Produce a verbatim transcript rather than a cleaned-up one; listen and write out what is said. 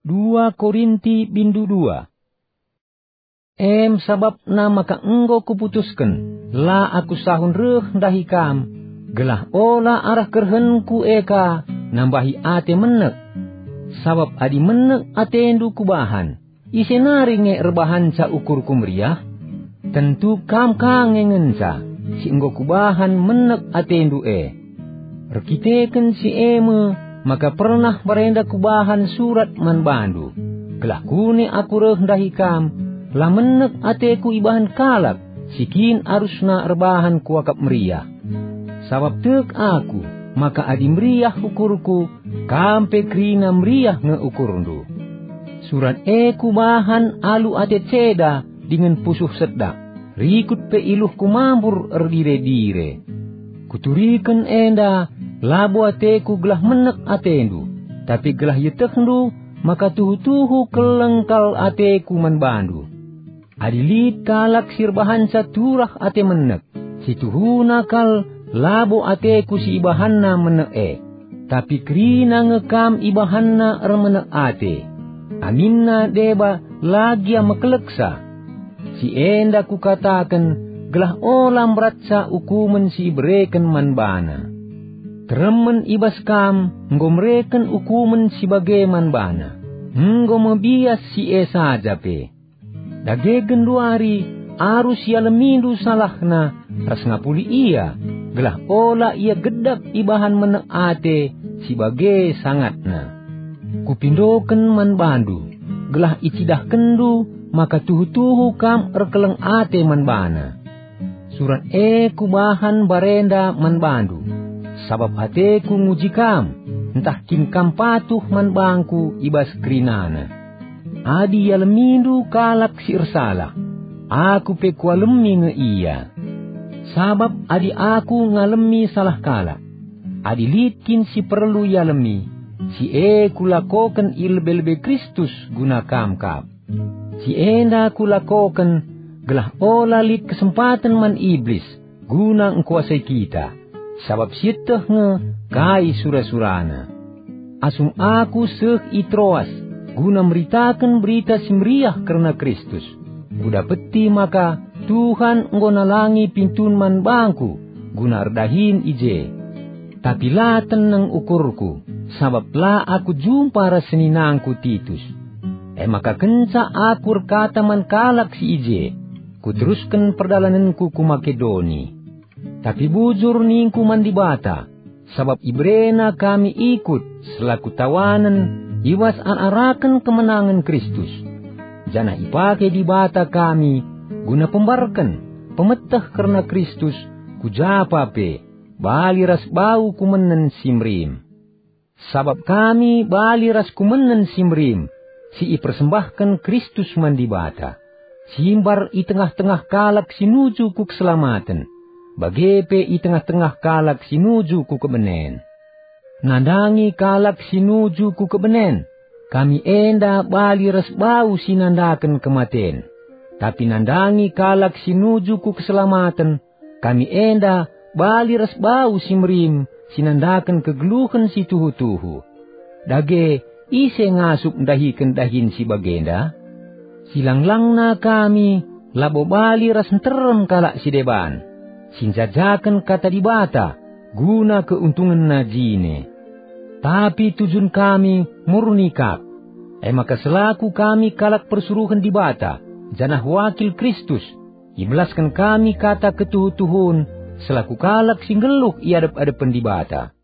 Dua Korinti bindu dua. Em sabapna maka enggo kuputusken, la aku sahun reh ndahi kam, gelah ola arah kerehenku e ka nambahi ate menek. Sabap adi menek atendu kubahan, ise nari nge erbahanca ukurku meriah? Tentu kam ka nge ngenca, si enggo kubahan menek atendu e. Erkiteken si e me maka pernah mbarenda kubahan surat man bandu, gelah kune aku reh ndahi kam, la menek ateku ibahan kalak si kin arusna erbahan kuakap meriah. Sabap tek aku maka adi meriah ukurku, kam pe kerina meriah nge ukurndu. Surat e kubahan alu ate ceda dingen pusuh sedak, rikut pe iluhku mambur erdire-dire. Kuturiken enda labo ateku gelah menek atendu, tapi gelah ietehndu maka tuhu-tuhu keleng kal ateku man bandu. Adi lit kalak si erbahanca turah ate menek, si tuhuna kal labo ateku si ibahanna menek e, tapi kerina nge kam ibahanna ermenek ate. Aminna deba la gia mekeleksa. Si enda kukataken gelah ola mberatca ukumen si ibereken man bana. Teremen i bas kam enggo mereken ukumen si bage man bana, enggo me bias si e saja pe. Dage genduari arus ialemindu salahna ras ngapuli ia, gelah ola ia gedap ibahan menek ate si bage sangatna. Kupindoken man bandu, gelah icidahkenndu maka tuhu-tuhu kam erkeleng ate man bana. Surat e kubahan mbarenda man bandu, sabap ateku nguji kam, ntah kin kam patuh man bangku i bas kerinana. Adi ialemindu kalak si ersalah, aku pe kualemi nge ia. Sabap adi aku ngalemi salah kalak, adi lit kin si perlu ialemi, si e kulakoken i lebe-lebe Kristus guna kam kap. Si enda kulakoken gelah ola lit kesempaten man Iblis guna ngkuasai kita, sabap sieteh nge kai sura-surana. Asum aku seh i Troas guna meritaken Berita Si Meriah kerna Kristus, kudapeti maka Tuhan enggo nalangi pintun man bangku guna erdahin i je. Tapi la teneng ukurku, sabap la aku jumpa ras seninangku Titus. E maka kenca aku erkata man kalak si i je, kuterusken perdalanenku ku Makedoni. Tapi bujur ningku man Dibata, sabap iberena kami ikut selaku tawanen i bas ar-araken kemenangen Kristus. Janah ipake Dibata kami guna pembarken, pemeteh kerna Kristus ku japa pe, bali ras bau kumenen si merim. Sabap kami bali ras kumenen si merim si ipersembahken Kristus man Dibata, si mbar i tengah-tengah kalak si nuju ku keselamaten, bage pe i tengah-tengah kalak si nuju ku kebenen. Nandangi kalak si nuju ku kebenen, kami enda bali ras bau si nandaken kematen. Tapi nandangi kalak si nuju ku keselamaten, kami enda bali ras bau si merim si nandaken kegeluhen si tuhu-tuhu. Dage, ise ngasup ndahiken dahin si bagenda? Silang-langna kami labo bali ras nterem kalak si deban, si njajaken Kata Dibata guna keuntungenna jine. Tapi tujun kami murni kap, e maka selaku kami kalak persuruhen Dibata, janah wakil Kristus, ibelasken kami kata ketuhu-tuhun selaku kalak si nggeluh i adep-adepen Dibata.